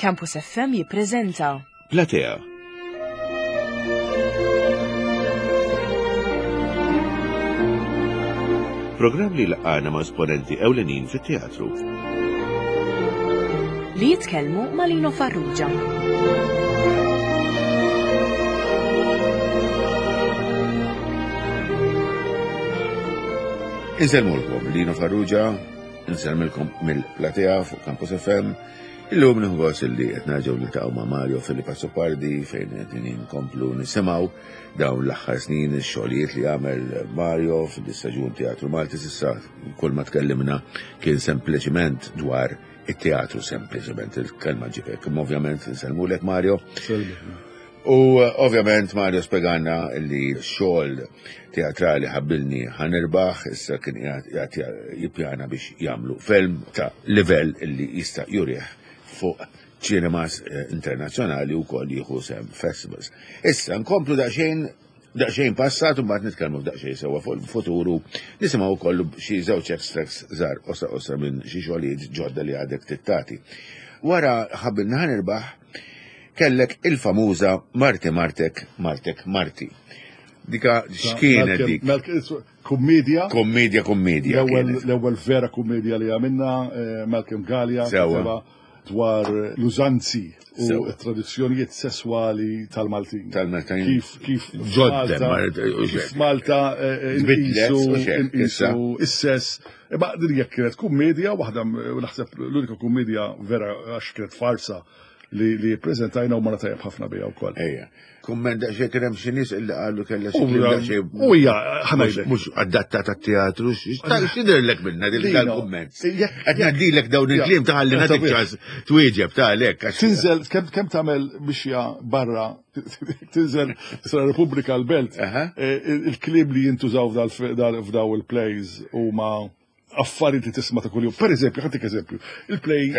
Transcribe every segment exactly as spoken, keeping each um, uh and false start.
Campus F M jippreżenta Platea. Programm li laqana ma' esponenti ewlenin fit-teatru. Li jitkellmu ma' Lino Farrugia. Insellmulkom Lino Farrugia, insellmilkom mill-Platea fuq Campus F M. Illum nieħu gost li qed nerġgħu niltaqgħu ma' Mario Filippo Azzopardi, fejn qed inkomplu nisimgħu dawn l-aħħar snin ix-xogħlijiet li għamel Mario fil-istaġun Teatru Malti. S'issa kull ma tkellimna kien sempliċiment dwar it-teatru, sempliċement il-kelma ġibek. Imma ovvjament insellmulek, Mario. U eh, ovvjament Mario spjegalna li xogħol teatrali Ħabbilni Ħa Nirbaħ issa kien qiegħed jippjana biex jagħmlu film ta' livell li jista' jurih fuq cinemas eh, internazzjonali u koll jieħu sehem festivals. Issa nkomplu daqsxejn daqsxejn passat u mbagħad nitkellmu daqsxejn sewwa fuq il-futuru, nisimgħu wkoll xi żewġ extracts żgħar qosra qosra minn xi xogħlijiet ġodda li għadek tittati. Wara Ħabbilni Ħa Nirbaħ kellek il-famuża Marti Martek Martek Marti. Dika x'kienet dik? Kummedja. Kommedja, kommedja. L-ewwel vera kummedja li għamilna, eh, Malcolm Galea, Sewwa. dwar l-użanzi u tradizzjonijiet sesswali tal-Maltin. Tal-Maltin. Kif kif Ġodda, kif Malta eh, inqisu is-sess. Imma din jekk kienet kummedja waħda, naħseb l-unika kummedja vera, għax kienet farsa li li prezentajna u ma tajjeb ħafna bija wkoll. Ejja. Kumment daqsxejn, kien hemm xi nies illi qalu kellha xi daqsxejn. U hija ħa ngħidlek. Mhux adattata tat-teatru, x'jidhirlek minna din dal-kumment? Qed ngħaddilek dawn il-kliem ta' ħalli nagħtik ċans twieġeb ta' għalhekk. Tinżel kemm kemm tagħmel mixja barra, tinżel sa Repubblika l-Belt, eh, il-kliem li jintużaw f'daw il-plays huma affarijiet li tisma' ta' kuljum. Per eżempju, ħa ntik eżempju, il-play. Le,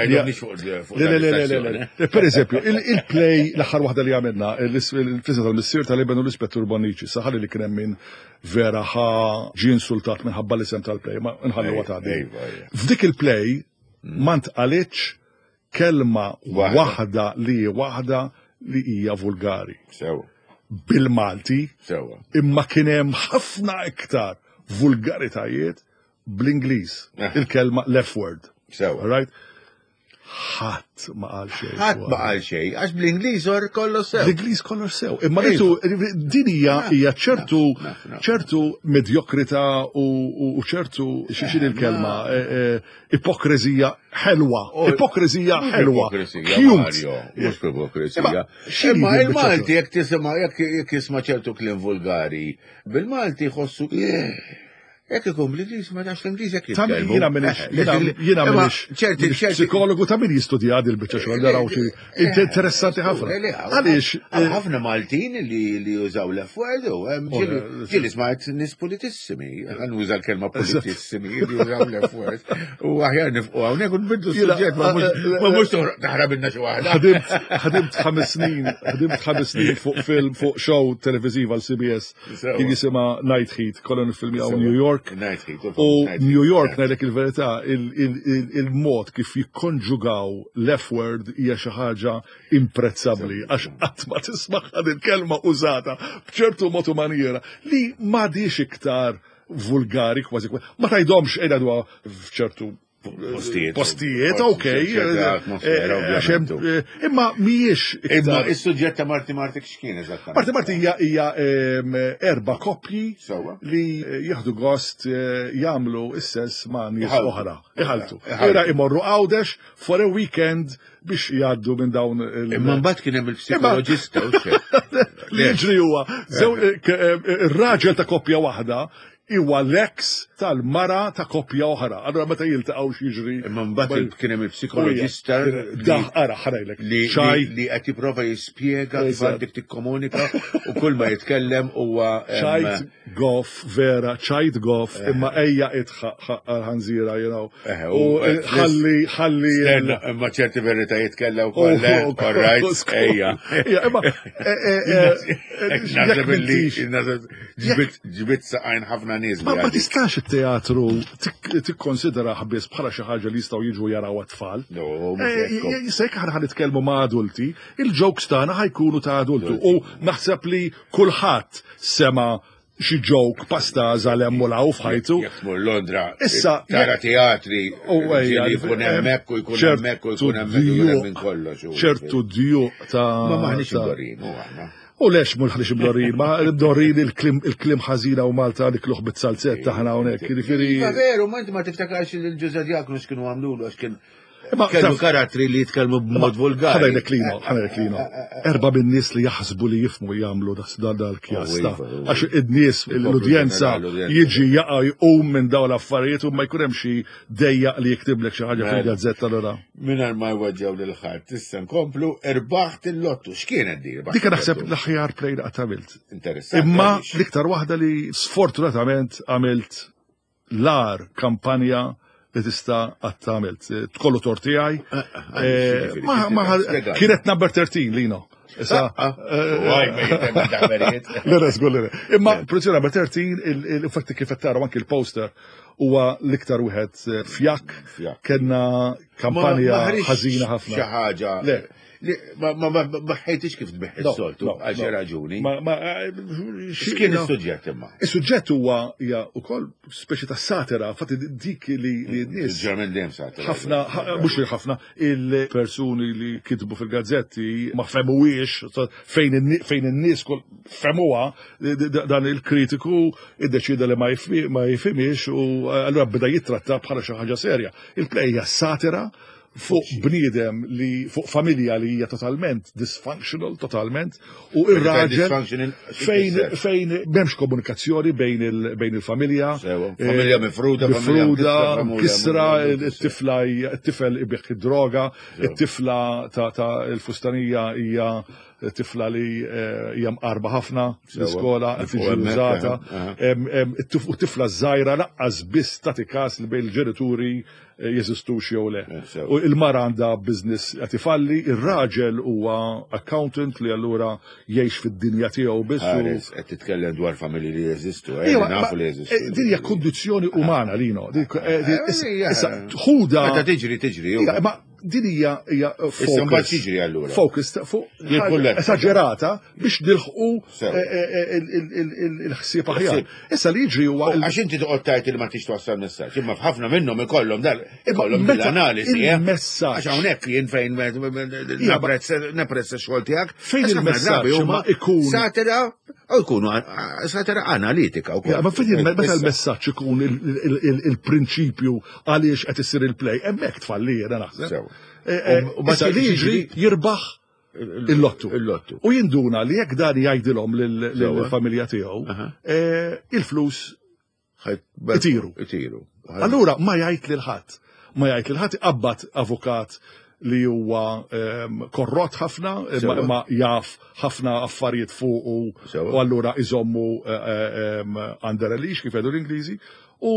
le, le, le, Per eżempju, il-play l-aħħar waħda li għamilna, il-Fizza tal-Missier tal-Iben u l-Ispettur Bonnici, saħalli li kien hemm min vera ħa ġie insultat minħabba l-isem tal-play, ma nħallu għatadi. F'dik il-play ma ntqalitx kelma waħda li waħda li hija vulgari. Sewa. Bil-Malti. Sewa. Imma kien hemm ħafna iktar vulgaritajiet bl-Ingliż. Eh. Il-kelma l-F word. Sewa. Right? Ħadd ma qal xejn. Ħadd ma qal xejn, għax bl-Ingliż or kollox sew. L-Ingliż kollox sew. Imma ritu din hija hija ċertu ċertu medjokrità u ċertu xi il-kelma eh, eh, ipokrizija ħelwa. Ipokrizija ħelwa. Ipokrizija, Mario, mhux ipokrizija. Imma il-Malti jekk tisma' jekk jisma' ċertu kliem vulgari, bil-Malti jħossu. Jekk ikun bl-Ingliż, ma nafx l-Ingliż jekk jitkellmu. Jiena minix, jiena minix ċerti psikologu ta' min jistudja il biċċa xogħol naraw xi interessanti ħafna. Għaliex ħafna Maltin li li jużaw l-F word u ġieli smajt nies politissimi, ħa nuża l-kelma politissimi li jużaw l-F word. U aħjar nifqu hawnhekk u nbidlu s-suġġett, ma mhux taħrab ilna xi waħda. Ħadimt ħames snin, ħadimt ħames snin fuq film, fuq show televiżiva l-C B S kien jisimha Night Heat, kollha nifilmjaw New York. U New York, ngħidlek il-verità, il-mod kif jikkonġugaw l-F-word hija xi ħaġa imprezzabbli, għax qatt ma tisma' il-kelma użata b'ċertu mod u maniera li m'għadix iktar vulgari kważi. Ma tgħidhomx qiegħda dwa f'ċertu postijiet. Postijiet, ok. Imma mhijiex. Imma is-suġġett ta' Marti Martek x'kien eżattament? Marti Marti hija hija erba' koppji li jieħdu gost eh, jagħmlu is-sess ma' nies oħra. Iħaltu. Ira imorru Għawdex for a weekend biex jgħaddu minn dawn il- Imma mbagħad kien hemm il-psikoloġista u Li jiġri huwa ir-raġel ta' koppja waħda huwa l-ex tal-mara ta' koppja oħra. Allora meta jiltaqgħu x'jiġri? Imma mbagħad kien hemm il-psikoloġista. Daħ ara ħa ngħidlek. Li li qed jipprova jispjega kif għandek tikkomunika u kull ma jitkellem huwa ċajt goff, vera, ċajt goff, imma ejja itħaq ħanżira, you know. U ħalli ħalli. Imma ċerti veritajiet kellha wkoll, all right, ejja. Imma Naħseb li ġbit saqajn ħafna ħafna nies. Ma ma tistax it-teatru tikkonsidera biss bħala xi ħaġa li jistgħu jiġu jaraw għat-tfal. Se jekk aħna ħa nitkellmu ma' adulti, il-jokes tagħna ħa jkunu ta' adulti. U naħseb li kulħadd sema' xi joke pastaża 'l hemm u 'l hawn f'ħajtu. Jekk tmur Londra, issa tara teatri li jkun hemmhekk u jkun hemmhekk u jkun hemmhekk u jkun hemm minn kollox. Ċertu djuq ta'. Ma maħniex imdorrijin, u aħna. U lex mhux ħniex imdorrijin, ma imdorrijin il-kliem ħażina u Malta nikluh bit-salzett taħna hawnhekk. Jiġifieri. Ma veru, ma inti ma tiftakarx lil Ġużè Diaknu x'kienu għamlulu għax kien kellu karattri li jitkellmu b'mod vulgari. Ħa ngħidlek Lino, ħa ngħidlek Lino. Erba' min-nies li jaħsbu li jifhmu jagħmlu dal-kjasta. Għax id-nies, l-udjenza jiġi jaqa' jqum minn dawn l-affarijiet u ma jkun hemm xi dejjaq li jiktiblek xi ħaġa fil-gazzetta allura. Mingħajr ma jweġġgħu lil ħadd, issa nkomplu irbaħt il-lottu. X'kienet di? Dik naħseb l-aħjar play li qatt għamilt. Interessanti. Imma l-iktar waħda li sfortunatament għamilt l-agħar kampanja li tista' qatt għamilt. Tkollu tort tiegħi. Kienet number thirteen, Lino. Issa. Le, żgur li. Imma produzzjoni number thirteen, il-fatti kif qed taraw anki il-poster huwa l-iktar wieħed fjakk. Kellna kampanja ħażina ħafna. Xi ħaġa. Ma ma ħejtix kif tbiħ is-soltu għal xi raġuni. X'kien is-suġġett imma? Is-suġġett huwa hija wkoll speċi ta' satira, fatti dik li n-nies. Ġermen dejjem satira. Ħafna, mhux li ħafna, il-persuni li kitbu fil-gazzetti ma femuwiex fejn in-nies femuha, dan il-kritiku iddeċida li ma jifhimiex u allura beda jittratta bħala xi ħaġa serja. Il-play hija satira fuq bniedem li fuq familja li hija totalment dysfunctional, totalment, u ir-raġel fejn fejn m'hemmx komunikazzjoni bejn il-familja. Familja mifruda, mifruda, kisra, it-tifla it-tifel ibigħ id-droga, it-tifla ta' il-fustanija hija tifla li hija mqarba ħafna l-iskola, tiġi użata, u tifla żgħira lanqas biss tagħti każ li bejn il-ġenituri jeżistux jew le. U il-mara għandha business qed ifalli, ir-raġel huwa accountant li allura jgħix fid-dinja tiegħu biss. Qed titkellem dwar familji li jeżistu, nafu li jeżistu. Din hija kondizzjoni umana, Lino. Issa ħuda. Meta tiġri tiġri. Ma din hija hija focus. Tiġri allura. Focus fuq esaġerata biex nilħqu il-ħsieb aħjar. Issa li jiġri huwa. Għax inti toqgħod tgħid li ma tix twassal messaġġ, imma f'ħafna minnhom ikollhom dal ikollhom l-analiżi. Il-messaġġ. Għax hawnhekk jien fejn napprezza x-xogħol tiegħek. Fejn il-messaġġ ma ikun. Satira u jkunu satira analitika wkoll. Ma fejn meta l-messaġġ ikun il-prinċipju għaliex qed isir il-play, hemmhekk tfalli jiena naħseb. U ma li jiġri jirbaħ il-lottu. Il-lottu. U jinduna li jekk dan jgħidilhom lill-familja tiegħu, il-flus itiru. Itiru. Allura ma jgħid lil ħadd. Ma jgħid lil ħadd, iqabbad avukat li huwa korrott ħafna, ma jaf ħafna affarijiet fuq u allura iżommu under a leash kif jgħidu l-Ingliżi. U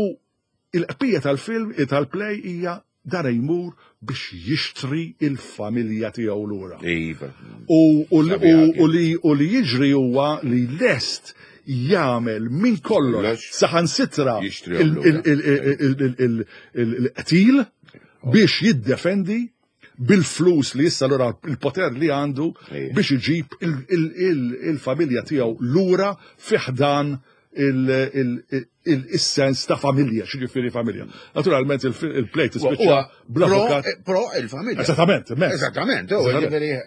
il-qbija tal-film, tal-play hija dan jmur biex jixtri il-familja tiegħu lura. Iva. U li jiġri huwa li lest jagħmel minn kollox saħansitra il-qtil biex jiddefendi bil-flus li issa lura il-poter li għandu biex iġib il-familja tiegħu lura fi ħdan il-sens ta' familja, x'jiġifieri familja. Naturalment il-play tispiċċa bl-avukat. Pro il-familja. Esattament, Esattament.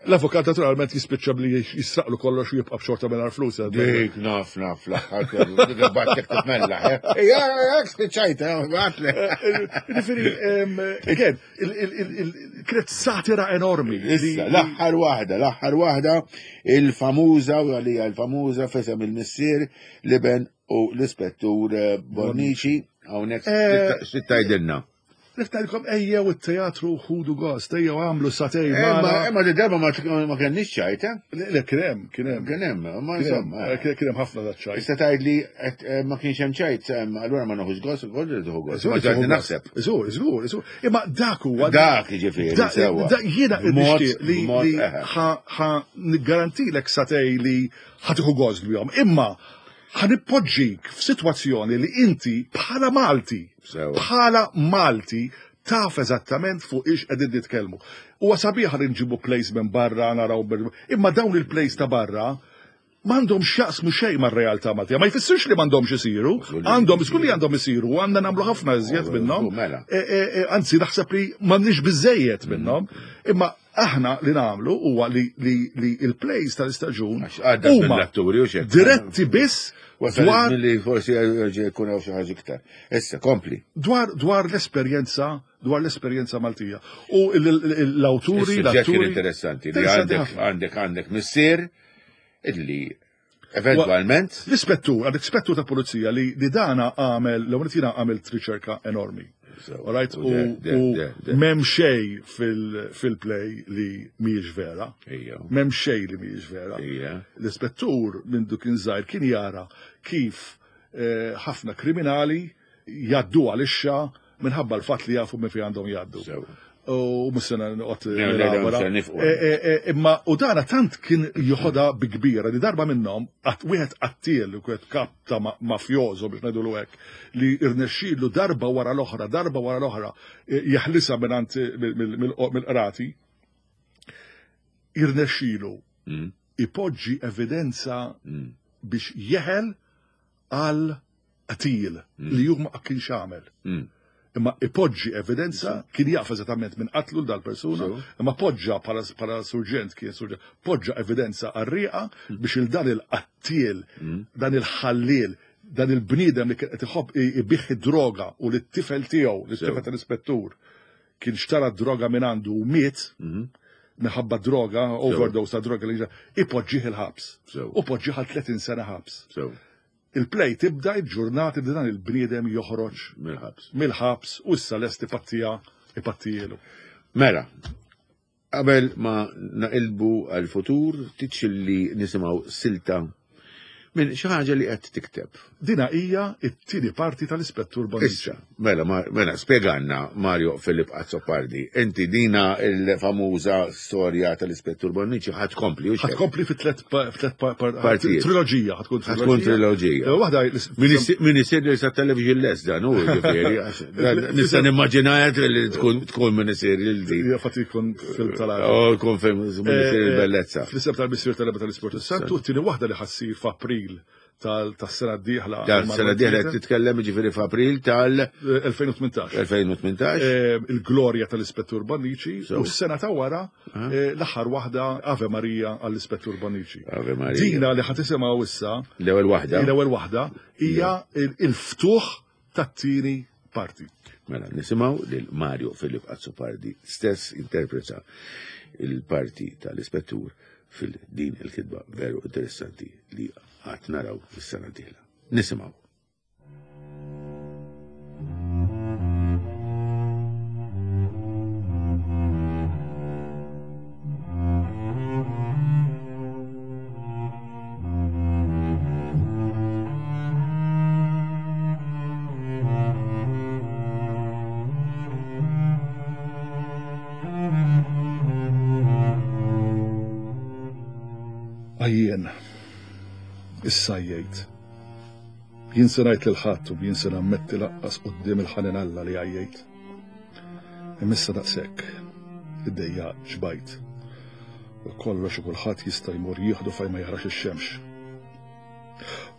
L-avukat naturalment jispiċċa bli jisraqlu kollox u jibqa' b'xorta mingħajr flus. Dik naf naf l-aħħar dik battek titmella. Ejja, jekk spiċċajt, għatle. Jiġifieri, again, kienet satira enormi. Issa, l-aħħar waħda, l-aħħar waħda, il-famuża, u għalija il-famuża f'isem il-missier l-iben u l-ispettur Bonnici, hawnhekk xi tgħidilna. Niftalkom ejjew it-teatru ħudu gost, ejjew għamlu satej. Imma di darba ma kenniex ċajt, eh? Le, kien hemm, kien hemm. Kien hemm, ma insomma. Kien hemm ħafna da ċajt. Issa tgħid li ma kienx hemm ċajt, allura ma noħux gost, ukoll li tieħu gost. Ma ġadni naħseb. Żgur, żgur, żgur. Imma dak huwa. Dak jiġifieri sewwa. Jiena nixtieq li ħa niggarantilek satej li ħa tieħu gost bihom. Imma Ħa npoġġik f'sitwazzjoni li inti bħala Malti, bħala Malti, taf eżattament fuq ix qegħdin nitkellmu. Huwa sabiħ li nġibu plays minn barra naraw, imma dawn il-plays ta' barra m'għandhom x'jaqsmu xejn mar-realtà Maltija. Ma jfissirx li m'għandhomx isiru, għandhom żgur li għandhom isiru, għandna nagħmlu ħafna iżjed minnhom. Anzi naħseb li m'għandniex biżejjed minnhom, imma aħna li nagħmlu huwa li il-plays tal-istaġun huma diretti biss dwar li forsi jkun hawn xi ħaġa iktar. Issa kompli. Dwar dwar l-esperjenza dwar l-esperjenza Maltija. U l-awturi, l-atturi interessanti li għandek għandek għandek missier illi eventwalment l-ispettur, għandek spettur ta' pulizija li li dana għamel, l-ewwel jiena għamilt riċerka enormi. Alright, u m'hemm xejn fil-play li mhijiex vera. M'hemm xejn li mhijiex vera. L-ispettur minn du kien żgħir kien jara kif ħafna kriminali jgħaddu għal-ixxa minħabba l-fatt li jafu minn fejn għandhom jgħaddu. U mhux noqgħod nelabora. Imma u dana tant kien joħodha bi kbira li darba minnhom wieħed qattiel u wieħed kap ta' mafjoso biex ngħidulu hekk li rnexxielu darba wara l-oħra, darba wara l-oħra jeħlisha mingħand mill-qrati, irnexxielu ipoġġi evidenza biex jeħel għal qatil li hu ma kienx għamel. Imma ipoġġi evidenza, kien jaf eżattament minn qatlu l dal-persuna, imma poġġa bħala surġent kien surġent, poġġa evidenza għarrieqa biex il dan il-qattiel, dan il-ħalliel, dan il-bniedem li kien qed iħobb ibih id-droga u li t-tifel tiegħu, li t-tifel tal-ispettur, kien xtara d-droga minn għandu u miet, minħabba droga, overdose ta' droga li ipoġġih il-ħabs. U poġġih għal tletin sena ħabs. Il-play tibda il-ġurnata li dan il-bniedem joħroġ mill-ħabs. Mill-ħabs u issa lest ipattija ipattijielu. Mela, qabel ma naqilbu għal-futur, titxilli nisimgħu silta minn xi ħaġa li qed tikteb. Dina hija t-tieni parti tal-Ispettur Bonnici. Issa, mela, mela, spjegalna Mario Philip Azzopardi, inti dina il-famuża storja tal-Ispettur Bonnici ħadd kompli u Ħadd kompli fi tliet partijiet. Triloġija, ħadd tkun triloġija. Waħda min isir li sa television less dan hu ġifieri. Nista' nimmaġinajat li tkun tkun min isir lil din. Hija fatt jkun film tal-għaġeb. Oh, jkun film min isir il-bellezza. Fl-isem tal-Missier tal-Eba tal-Ispirtu Santu, t-tieni waħda li ħassir f'April tas-sena d-dieħla. Tas-sena d-dieħla qed titkellem jiġifieri f'April tal elfejn u tmintax. elfejn u tmintax. Il-glorja tal-Ispettur Bonnici u s-sena ta' wara l-aħħar waħda Ave Maria għall-Ispettur Bonnici. Ave Maria. Dina li ħa tisimgħu issa. L-ewwel waħda. L-ewwel waħda hija il-ftuħ tat-tieni parti. Mela, nisimgħu lil Mario Philip Azzopardi stess interpreta il-parti tal-Ispettur fil-din il-kitba veru interessanti li għad naraw fis-sena d-dieħla. Nisimgħu. Għajjen, issa jgħid. Jien se ngħid lil ħadd u jien se nammetti laqqas quddiem il-ħanin Alla li għajjejt. Imma issa daqshekk, id-dejja xbajt. U kollox u kulħadd jista' jmur jieħdu fejn ma jarax ix-xemx.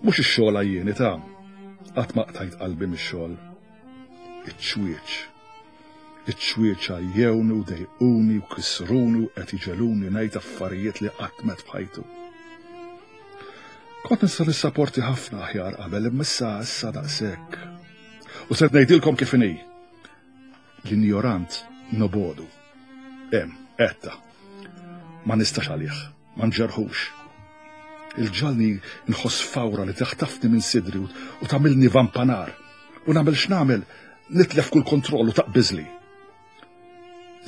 Mhux ix-xogħol għajjieni ta' qatt ma qtajt qalbi mix-xogħol. Iċ-ċwieċ. Iċ-ċwieċ għajjewni u dejquni u kisruni u qed iġeluni ngħid affarijiet li qatt met f'ħajtu. Kont nista' nissaporti ħafna aħjar qabel, imma issa issa daqshekk. U se ngħidilkom kif inhi. L-injorant nobodu. Hemm, etta. Ma nistax għalih, ma nġerħux. Il-ġalni nħoss fawra li taħtafni minn sidri u tagħmilni vampanar. U nagħmel x'nagħmel, nitlef kull kontroll u taqbiżli.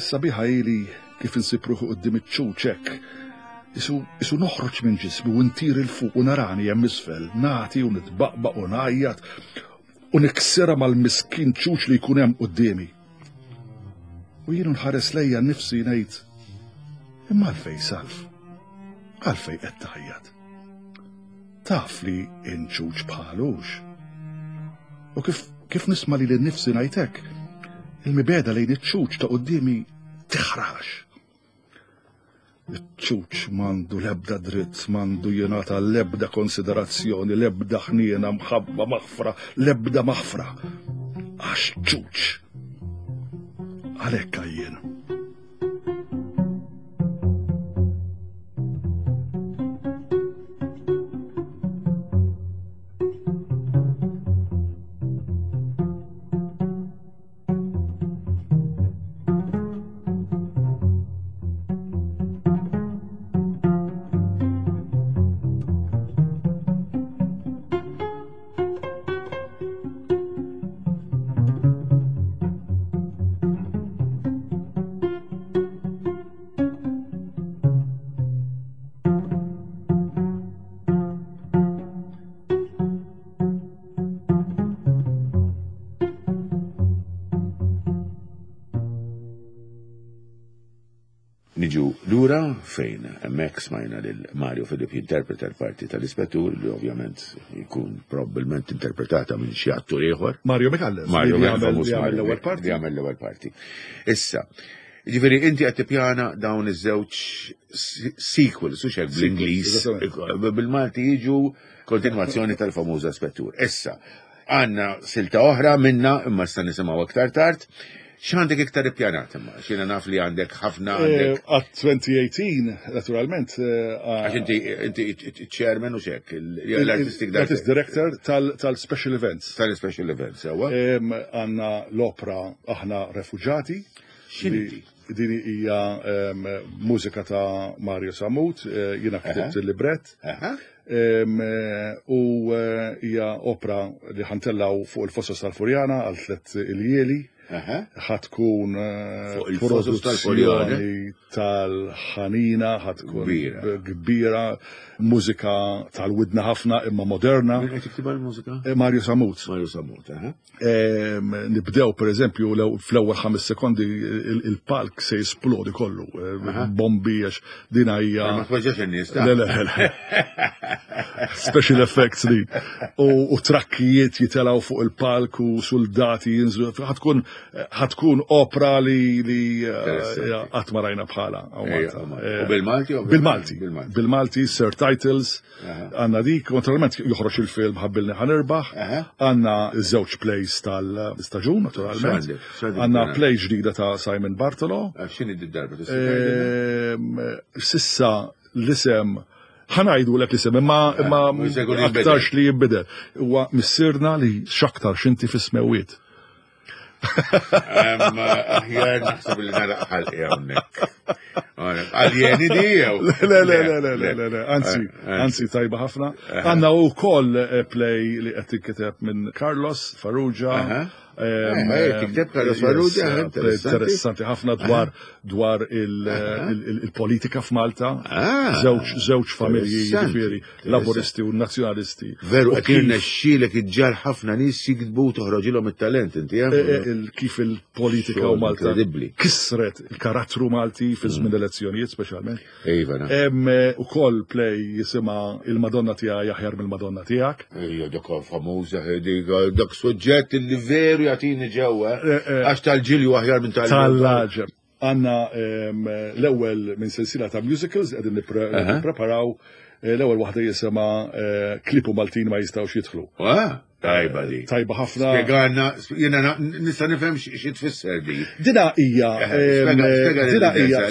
Is-sabiħa ili kif insib ruħi quddiem iċ-ċuċ hekk. Isu, isu noħroġ minn ġismi u ntir il fuq u narani hemm isfel, nagħti u nitbaqbaq u ngħajjat u niksirha mal-miskin ċuċ li jkun hemm quddiemi. U jien nħares lejja nnifsi ngħid, imma għalfejn Salv, għalfejn qed tgħajjat. Taf li inċuċ bħalux. U kif, kif nisma li l-nifsi ngħidlek, il-mibegħda lejn iċ-ċuċ ta' quddiemi tiħrax. Iċ-ċuċ m'għandu l-ebda dritt, m'għandu jingħata l-ebda konsiderazzjoni, l-ebda ħniena, mħabba, maħfra, l-ebda maħfra. Għax ċuċ. Għalhekk għajjien. Niġu lura fejn hemmhekk smajna lil Mario Philip jinterpreta l-parti tal-ispettur li ovvjament jkun probabbilment interpretata minn xi attur ieħor. Mario Micallef. Mario li jagħmel famuż li jagħmel Mario l-ewwel parti. Li jagħmel l-ewwel parti. Issa, jiġifieri inti qed tippjana dawn iż-żewġ sequels, u hekk bl-Ingliż, bil-Malti jiġu kontinwazzjoni tal-famuża spettur. Issa, għandna silta oħra minna imma issa nisimgħu aktar tard. X'għandek iktar ippjanat imma? X'jiena naf li għandek ħafna għandek. Għat twenty eighteen, naturalment. Għax inti inti chairman u xek, l-artistic director. Artist director tal-special events. Tal-special events, sewwa. Għandna l-opera Aħna Refuġati. X'inhi? Din hija mużika ta' Mario Samut, jiena ktibt il-librett. U hija opera li ħantellaw fuq il-Fosos tal-Furjana għal tliet iljieli. Ħatkun produzzjoni tal-ħanina, ħatkun kbira, mużika tal-widna ħafna imma moderna. Min qed jiktibha l-mużika? Mario Samut. Mario Samut, aha. Nibdew per eżempju fl-ewwel ħames sekondi il-palk se jisplodi kollu, bombi għax din hija. Ma tweġġax in-nies. Le, le, le. Special effects li. U trakkijiet jitelgħu fuq il-palk u soldati jinżlu. Ħatkun ħatkun opera li li qatt ma rajna bħala. U bil-Malti? Bil-Malti. Bil-Malti, Sir Titles, għandna dik, naturalment joħroġ il-film Ħabbilni Ħanirbaħ, għandna żewġ plays tal-istaġun, naturalment. Għandna play ġdida ta' Simon Bartolo. X'inhi d-darba? Sissa l-isem ħanajdu l l-isem, imma aktarx li jibbidel. Huwa missirna li x'aktar x'inti fis-smewwiet. Aħjar naħseb li nagħlaq ħalqi hawnhekk. Aljeni di jew? Le, le, le, le, le, le, anzi, anzi tajba ħafna. Għandna wkoll play li qed tinkiteb minn Carlos Farrugia. Tikteb Carlos Farrugia, interessanti ħafna dwar dwar il-politika f'Malta. Żewġ familji jiġifieri, Laburisti u Nazzjonalisti. Veru, qed jirnexxielek iġġar ħafna nies jiktbu toħroġilhom it-talent inti hemm. Kif il-politika u Malta kisret il-karattru Malti fi żmien elezzjonijiet speċjalment. Iva. Hemm ukoll play jisimha Il-Madonna tiegħi aħjar mill-Madonna tiegħek. Ejja, dak famuża dak suġġett li veru jagħtini ġewwa għax tal-ġilju aħjar minn tal Tal-ġeb. Għandna l-ewwel minn sensiela ta' musicals qegħdin nippreparaw l-ewwel waħda jisimha Klipu Maltin ma jistgħux jidħlu. Tajba di. Tajba ħafna. Spjegana, jiena nista' nifhem xi tfisser di. Dina hija dina hija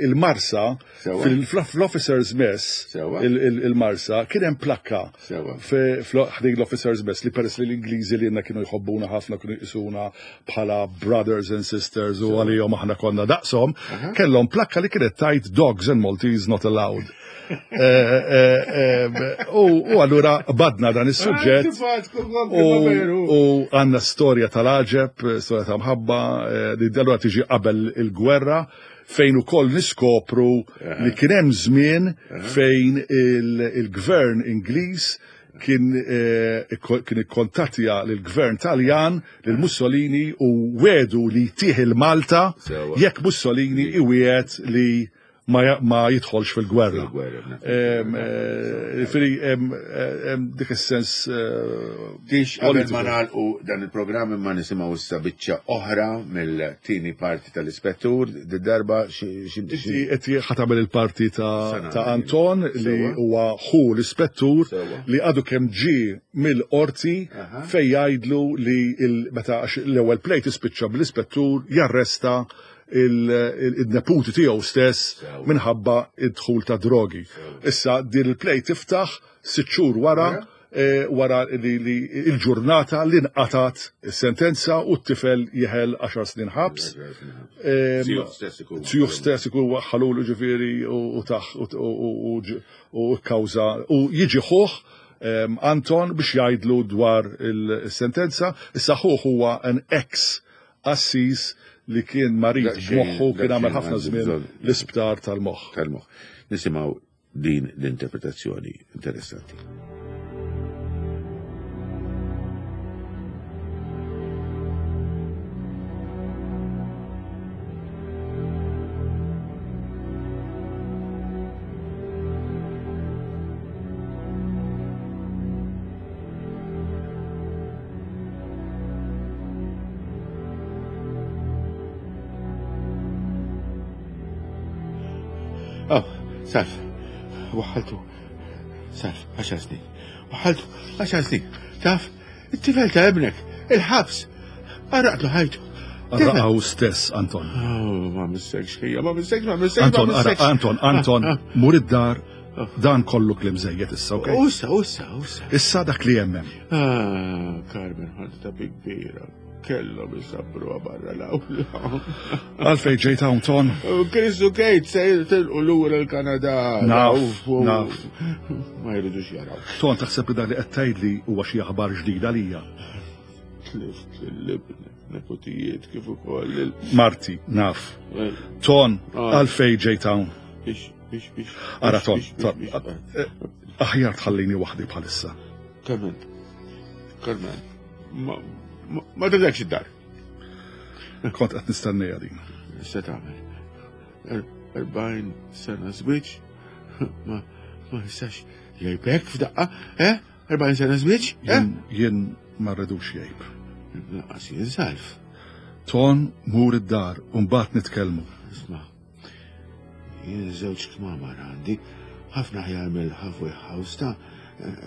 il-Marsa fl-Officers Mess il-Marsa kien hemm plakka ħdejn l-Officers Mess li peress li l-Ingliżi li kienu jħobbuna ħafna kienu jqisuna bħala brothers and sisters u għalihom aħna konna daqshom, kellhom plakka li kienet tajt dogs and Maltese not allowed. U allura badna dan is-suġġett u għandna storja tal-għaġeb, storja ta' mħabba, li allura tiġi qabel il-gwerra fejn ukoll niskopru li kien hemm żmien fejn il-gvern Ingliż kien kien ikkontattja lill-gvern Taljan lil Mussolini u wedu li jtieħ il-Malta jekk Mussolini iwiegħed li ma, ma jidħolx fil-gwerra. Ġifieri hemm dik is-sens. Tix qabel ma nagħlqu dan il-programm imma nisimgħu issa biċċa oħra mill-tieni parti tal-Ispettur, darba xi qed ħa tagħmel il-parti ta' Anton li huwa ħu l-Ispettur li għadu kemm ġie mill-qorti fejn jgħidlu li meta l-ewwel play tispiċċa bl-Ispettur jarresta il-neputi tiegħu stess minħabba id-dħul ta' drogi. Issa din il-play tiftaħ sitt xhur wara wara li il-ġurnata li nqatat is-sentenza u t-tifel jeħel għaxar snin ħabs. Tiegħu stess ikun waħħalulu ġifieri u taħ u kkawża u jiġi ħuh Anton biex jgħidlu dwar il-sentenza. Issa ħuh huwa an ex assis li kien marid b'moħħu, kien għamel ħafna żmien l-isptar tal-moħħ. Tal-moħħ. Nisimgħu din l-interpretazzjoni interessanti. Oh, Salv, waħħaltu, Salv, għaxar snin, waħħaltu, għaxar snin, taf, it-tifel ta' ibnek, il-ħabs, għarraqtlu ħajtu. Għarraqaw stess, Anton. Oh, ma missekx, ħija, ma missekx, ma missekx, Anton, Anton, Anton, mur id-dar, dan kollu klim żejjed issa, okej? Ussa, ussa, ussa. Issa dak li jemmem. Ah, Carmen, ħadta ta' bi kbira. Kellhom isabruha barra l-awla. Għalfejn ġejt hawn, Ton? Chris u Kate se jitilqu lura l-Kanada. Naf, naf. Ma jridux jaraw. Ton, taħseb li dak li qed tgħidli huwa xi aħbar ġdida lija? Tlift lill-ibnek, nepotijiet kif ukoll il Marti, naf. Ton, għalfejn ġejt hawn? Biex, biex, biex. Ara, Ton, Ton, aħjar tħallini waħdi bħalissa. Carmen, Carmen, ma Ma tidekx id-dar. Kont qed nistennija din. Se tagħmel. Erbgħin sena żwieġ ma ma jistax jgħibek f'daqqa, eh? Erbgħin sena żwieġ, eh? Jien ma rridux jgħib. Lanqas jien Salv. Ton, mur id-dar u mbagħad nitkellmu. Isma', jien żewġ kmamar għandi, ħafna aħjar mill-halfway house ta'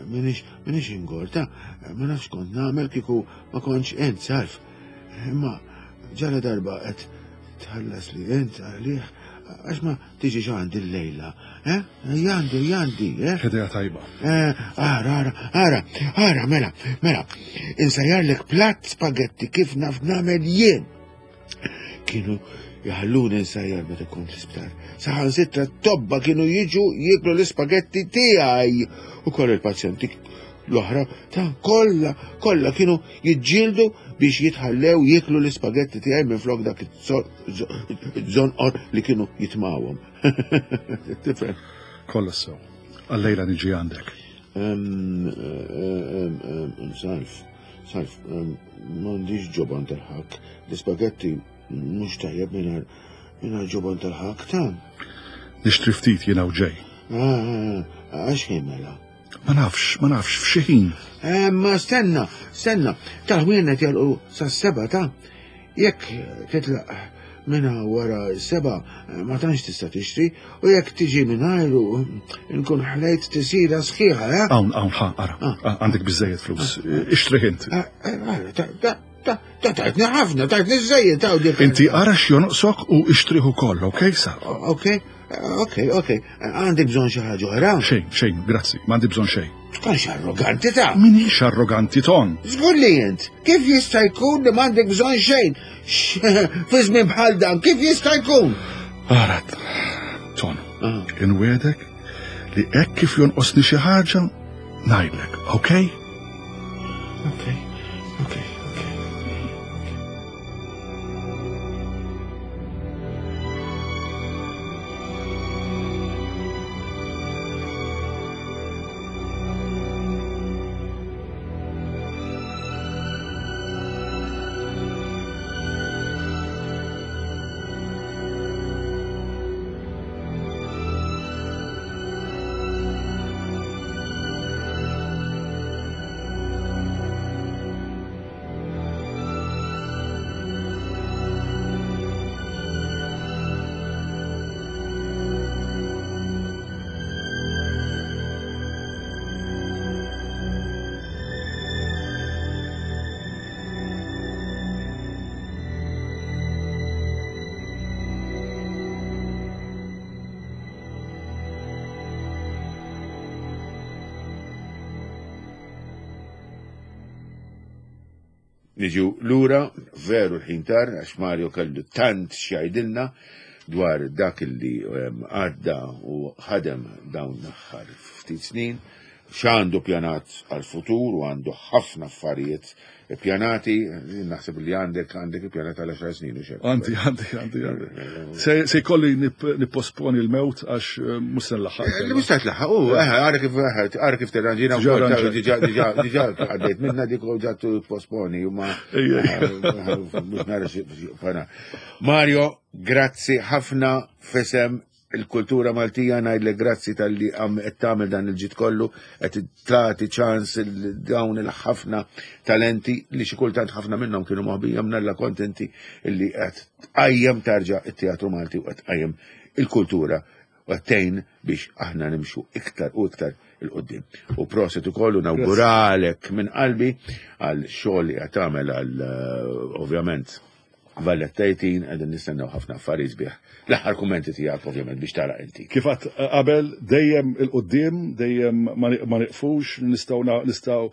minix minix ingorta, ma nafx kont nagħmel kieku ma kontx int Salv. Imma ġara darba qed tħallas li int għalih għax ma tiġix għandi l-lejla, eh? Jandi, jandi, eh? Idea tajba. Ara, ara, ara, ara, mela, mela, insajjarlek platt spagetti kif naf nagħmel jien. Kienu jħalluni nsajjar meta kont l-isptar. Saħansitra t-tobba kienu jiġu jieklu l-ispagetti tiegħi. U koll il-pazjenti l-oħra ta' kollha, kollha kienu jiġġieldu biex jitħallew jieklu l-ispagetti tiegħi minn flok dak iż-żonqor li kienu jitmawhom. Tifhem? Kollha sew. Għallejla niġi għandek. Salv, Salv, m'għandix ġoban tal-ħakk. L-ispagetti mhux tajjeb mingħajr mingħajr ġoban tal-ħakk ta'. Nixtri ftit jiena u ġej. Għax ħin mela? Ma nafx, ma nafx, f'xi ħin. Ma stenna, stenna, tal-ħwienet jalqu sas-seba ta' jekk titlaq minna wara s-seba ma tantx tista' tixtri u jekk tiġi mingħajru nkun ħlejt tisira sħiħa, eh? Hawn, hawn, ħa, ara, għandek biżejjed flus, ixtri int. Ta' tajtni ħafna, tajtni żejjed ta' dik. Inti ara x'jonqsok u ixtriħ ukoll, okej sa? Okej, okej, okej. Għandi bżonn xi ħaġa oħra? Xejn, xejn, grazzi, m'għandi bżonn xejn. Tkunx arroganti ta'. Minix arroganti, Ton. Żgur li int. Kif jista' jkun li m'għandek bżonn xejn? Fi żmien bħal dan, kif jista' jkun? Ara, Ton, inwedek li hekk kif jonqosni xi ħaġa ngħidlek, okej? Okej, okej. Niġu lura, veru l-ħin tar, għax Mario kellu tant x'jgħidilna dwar dak li għadda u ħadem dawn l-aħħar ftit snin, x'għandu pjanat għal-futur u għandu ħafna affarijiet pjanati, naħseb li għandek għandek pjanat għal għaxar snin u xek. Għandi, għandi, għandi, għandi. Se jkolli nipposponi l-mewt għax mhux se nlaħħaq. Li mhux se tlaħħaq, u ara kif ara kif tirranġina wkoll diġà diġà diġà għaddejt minna dik u ġa posponi u ma mhux nara xi. Mario, grazzi ħafna f'isem il-kultura Maltija, ngħidlek grazzi talli qed tagħmel dan il-ġid kollu, qed tagħti ċans dawn il-ħafna talenti li xi kultant ħafna minnhom kienu moħbija mnalla kontenti illi qed tqajjem tarġa' it-teatru Malti u qed tqajjem il-kultura u qed tgħin biex aħna nimxu iktar u iktar 'il quddiem. U proset ukoll u nawguralek minn qalbi għal xogħol li qed tagħmel għal ovvjament Valletta eighteen, qegħdin nistennew ħafna affarijiet sbieħ. L-aħħar kummenti tiegħek ovvjament biex tara inti. Kif għadt qabel, dejjem 'il quddiem, dejjem ma nieqfux, nistgħu nistgħu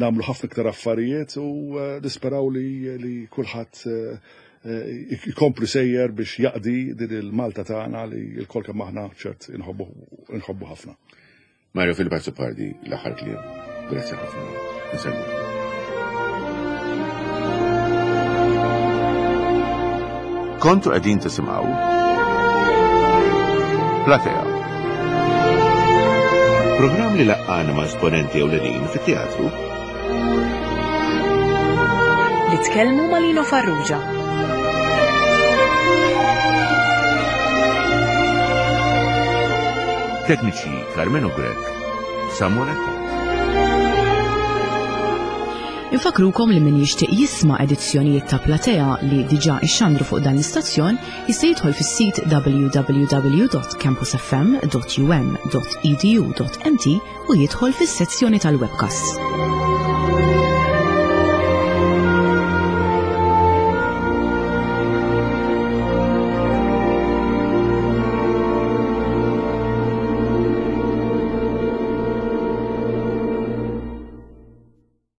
nagħmlu ħafna iktar affarijiet u nisperaw li li kulħadd ikompli sejjer biex jaqdi din il-Malta tagħna li l-kol kemm aħna ċert inħobbu ħafna. Mario Philip Azzopardi, l-aħħar kliem. Grazzi ħafna. Insellmu. Kontu qegħdin tisimgħu Platea. Programm li laqqana ma' esponenti ewlenin fit-teatru. Li tkellmu ma' Lino Farrugia. Tekniċi Carmelo Grech, Samuel Attard. Infakrukom li min jixtieq jisma' edizzjonijiet ta' Platea li diġà ixxandru fuq dan l-istazzjon jista' jidħol fis-sit w w w dot campus f m dot u m dot e d u dot m t u jidħol fis-sezzjoni tal-webcast.